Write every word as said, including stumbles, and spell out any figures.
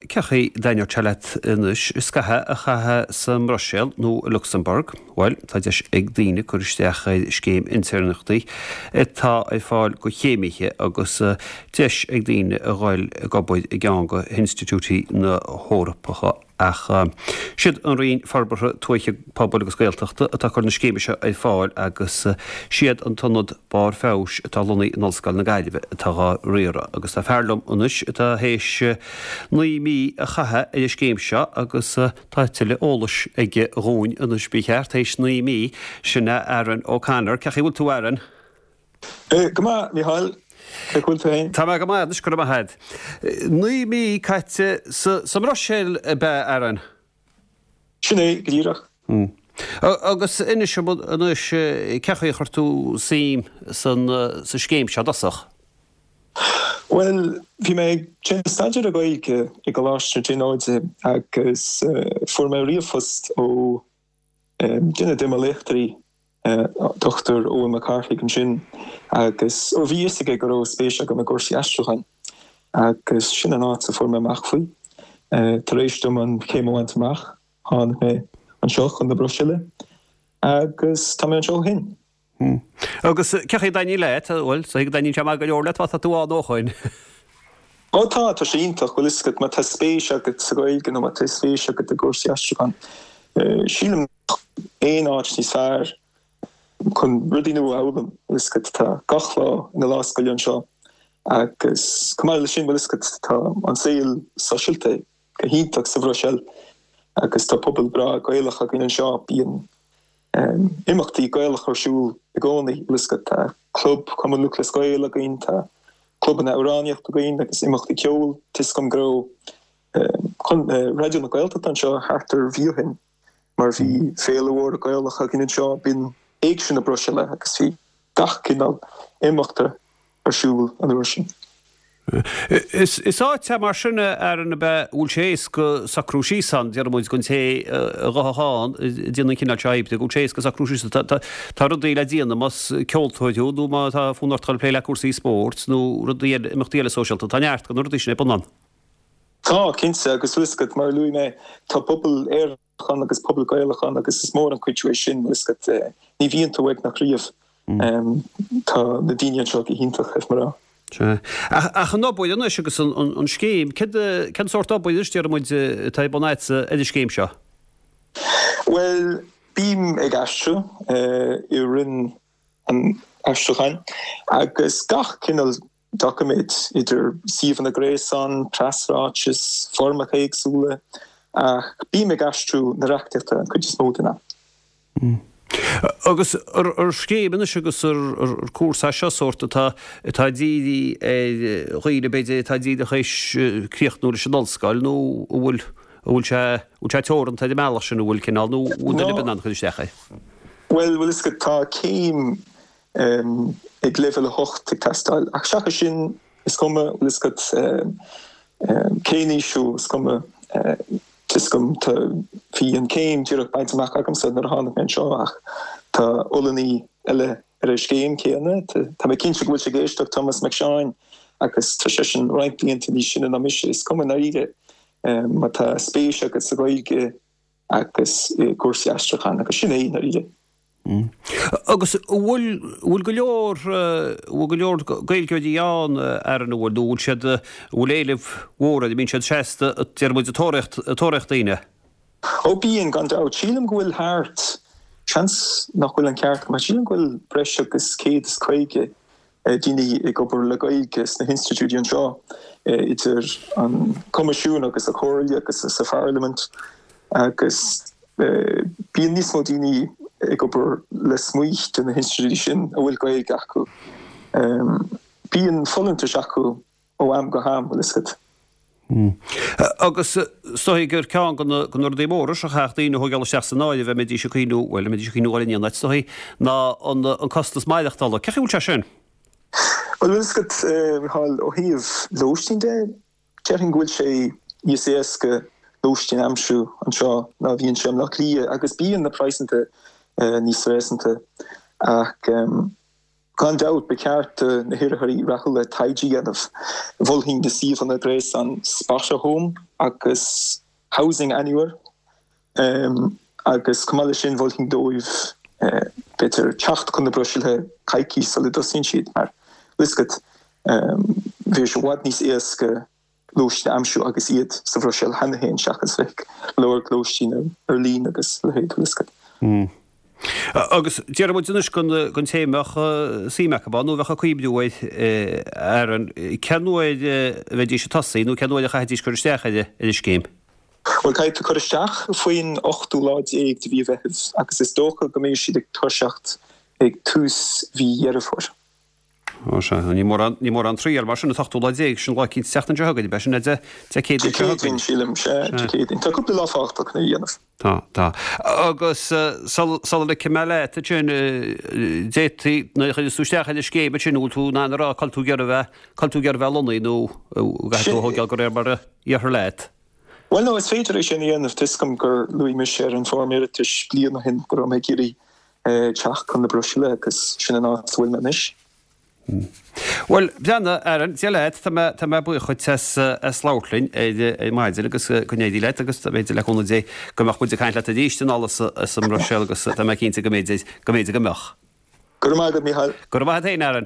Cén chaoi a dtaitneodh sé leat anois scaitheamh a chaitheamh sa mBruiséil nó i Lucsamburg? Bhuel, tá deis ag daoine cur isteach ar scéim intéirneachtaí atá ar fáil do chéimithe agus deis ag daoine a dhul ag obair i gceann de hinstitiúidí na hEorpacha. Ach siad an Roinn Forbartha Tuaithe, Pobail agus Gaeltachta atá ag cur na scéime seo ar fáil agus siad an tIonad Barr Feabhais atá lonnaithe in Ollscoil na Gaillimhe atá dhá riaradh. Agus tá fear liom anois atá théis naoi mí a chaitheamh ar an scéim seo agus tá tuilleadh eolais aige dhúinn anois ba cheart théis naoi mí, sin é Aaron O'Connor. Cén chaoi a bhfuil tú Aaron? Go maith, Micheál. Cén chaoi a bhfuil tú féin? Tá mé go maith anois, go raibh maith agat. Naoi mí caite sa sa mBruiséil ab ea, Aaron? Sin é, go díreach. Agus inis dom anois, cén chaoi a chuir tú suim san sa scéim seo i dtosach? Bhuel, bhí mé ag déanamh staidéar ar Ghaeilge i gColáiste na Tríonóide agus fuair mé ríomhphost ó duine de mo léachtóirí Dochtúir Eoin Mac Cárthaigh ansin agus ó bhí fhios aige go raibh spéis agam i gcúrsaí aistriúcháin agus sin an áit a fuair mé amach faoi. Tar éis dom an chéim a bhaint amach, tháinig mé anseo chun na Bruiséile agus tá mé anseo ó shin. Agus cén chaoi a dtaitníonn leat? Bhuel, is dóigh go dtaitníonn sé maith go leor leat má tá tú ann ó shoin. Ó tá, tá sé iontach, bhfuil fhios agat, má tá spéis agat sa Ghaeilge nó má tá spéis agat i gcúrsaí aistriúcháin, sílim nach aon áit níos fearr chun rudaí nua a fhoghlaim, bhfuil fhios agat, tá gach lá ina lá scoile anseo agus chomh maith leis sin, bhfuil fhios agat, tá an saol sóisialta go hiontach sa Bhruiséil agus tá pobal breá Gaelach againn anseo, bíonn imeachtaí Gaelacha ar siúl i gcónaí, bhfuil fhios agat, tá club Cumann Lúthchleas Gael againn, tá clubanna amhránaíochta againn agus imeachtaí ceoil. Tá fhios agam go raibh Raidió na Gaeltachta anseo thart ar mhí ó shin mar bhí féile mhór Gaelach againn anseo, b'in Éigse na Bruiséile agus bhí gach cineál imeachta ar siúl an uair sin. Is áit é mar sin, a Aaron, ab ea, a bhfuil sé éasca socrú síos ann, déarfaidh muid, don té a ghabhfadh ann, ag déanamh an chineál seo oibre, go bhfuil sé éasca socrú síos ann. Tá rudaí le déanamh, más ceoltóir thú nó má tá fonn ort dul ag plé le cúrsaí spóirt nó rudaí eile, imeachtaí eile sóisialta, tá neart de na rudaí sin ar bun ann. Tá, cinnte, agus bhfuil fhios agat, mar a luaigh mé, tá pobal Éireannach ann agus pobal Gaelach ann agus is mór an cuidiú é sin, bhfuil fhios agat, ní bhíonn tú uaigneach riamh. Tá na daoine anseo go hiontach, caithfidh mé a rá. Sea. Ach an obair anois agus an scéim, cén sórt obair anois, déarfaidh muid, atá ar bun agatsa ar an scéim seo? Bhuel, bím ag aistriú i Roinn an Aistriúcháin agus gach cineál doiciméad, idir suíomhanna gréasáin, preasráitis, foirmeacha éagsúla, ach bím ag aistriú na reachtaíochta an chuid is mó den am. Agus ar scéim anois agus ar cúrsa é seo sórt atá atá dírithe ar dhaoine b'fhéidir atá díreach théis críochnú leis an ollscoil nó an bhfuil an bhfuil sé bhfuil sé teoranta ar an mbealach sin an bhfuil cineál nó an bhfuil duine ar bith in ann cur isteach air? Bhuel, bhfuil fhios agat tá céim ag leibhéal a hocht ag teastáil ach seachas sin is cuma, bhfuil fhios agat cén aois thú, is cuma. Tá fhios agam, tá, bhí an céim díreach bainte amach agamsa nuair a tháinig mé anseo ach tá Ollannaí eile ar an scéim céanna. Tá mé cinnte go bhfuil sé ag éisteacht, Tomás Mac Seáin, agus tá seisean roinnt blianta níos sine ná mise. Is cuma i ndáiríre má tá spéis agat sa Ghaeilge agus i gcúrsaí aistriúcháin agus sin é i ndáiríre. Agus an bhfuil, bhfuil go leor, bhfuil go leor Gaeilgeoirí ann, Aaron, an bhfuil, nó bhfuil siad, bhfuil éileamh mhór air, an mbíonn siad seasta, deir muid, ag tóraíocht, ag tóraíocht daoine? Ó bíonn, gan dabht. Sílim go bhfuil thart, seans nach bhfuil an ceart agam, ach sílim go bhfuil breis agus céad is caoga daoine ag obair le Gaeilge sna hinstitiúidí anseo, idir an Coimisiún agus an Chomhairle agus sa Pharlaimint, agus bíonn níos mó daoine ag obair lasmuigh de na hinstitiúidí sin a bhfuil Gaeilge acu. Bíonn folúntais acu ó am go ham, bhfuil fhios agat. Agus is dóigh gur ceann de na rudaí móra seo a chaithfeadh daoine a thógáil isteach san áireamh a mbeidís ag cuimhniú, bhuel, a mbeidís ag cuimhniú dhul in aon áit, is dóigh, ná an costas maireachtála. Cén chaoi a bhfuil sé sin? Bhuel, bhfuil fhios agat, Micheál, ó thaobh lóistín de, déarfainn go bhfuil sé níos éasca lóistín a aimsiú anseo ná a bhíonn sé i mBleá Cliath agus bíonn na praghsanna níos réasúnta ach, Gan dabht ba cheart do na hiarrthóirí rathúla taighde a dhéanamh. Mholfainn na suíomhanna gréasáin Spotahome agus Housing Anywhere. Agus chomh maith leis sin mholfainn dóibh b'fhéidir teacht chun na Bruiséile coicís sula dtosaíonn siad mar bhfuil fhios agat bheadh sé i bhfad níos éasca lóistín a aimsiú agus iad sa Bhruiséil cheana féin seachas bheith ag lorg lóistín ar líne agus a leithéid bhfuil fhios agat. Agus déarfaidh muid anois don té a mbeadh suim acu ann nó a bheadh ag cuimhniú air, Aaron, cén uair a bheidís ag tosaí nó cén uair a chaithfidís cur isteach ar an scéim? Bhuel, caithfidh tú cur isteach faoin ochtú lá déag de mhí Mheithimh agus is dócha go mbeidh siad ag toiseacht ag tús mhí Dheireadh Fómhair. Ó sea, ní mórán, ní mórán triall mar sin, an t-ochtú lá déag, sin lá eicínt an tseachtain seo chugainn, ab é sin Dé Dé Céadaoin seo chugainn? Dé Céadaoin, sílim, sea, Dé Céadaoin. Tá cúpla lá fágtha chun é a dhéanamh. Tá, tá. Agus sul, sula ligfidh mé leat ansin, d'fhéadfaí, nuair a chuireas tú isteach ar an scéim ansin, an bhfuil tú in ann a rá cá bhfuil tú ag iarraidh a bheith, cá bhfuil tú ag iarraidh a bheith lonnaithe nó an gcaithfidh tú a thógáil de réir mar a dhéarfar leat? Bhuel, no, is féidir é sin a dhéanamh. Tá 'fhios agam gur luaigh mise ar an bhfoirm iarratais bliain ó shin go raibh mé ag iarraidh teacht chun na Bruiséile agus sin an áit a bhfuil mé anois. Bhuel, breathnaigh, Aaron, Dia leat, tá mé, tá mé buíoch dhuit as, as labhairt linn ar, ar maidin agus go n-éirí leat agus b'fhéidir le cúnamh Dé go mbeadh muid ag caint leat arís anall as, as an mBruiséil agus tá mé cinnte go mb'fhéidir, go mb'fhéidir go mbeadh. Go raibh maith agat, Mícheál. Go raibh maith agat féin, Aaron.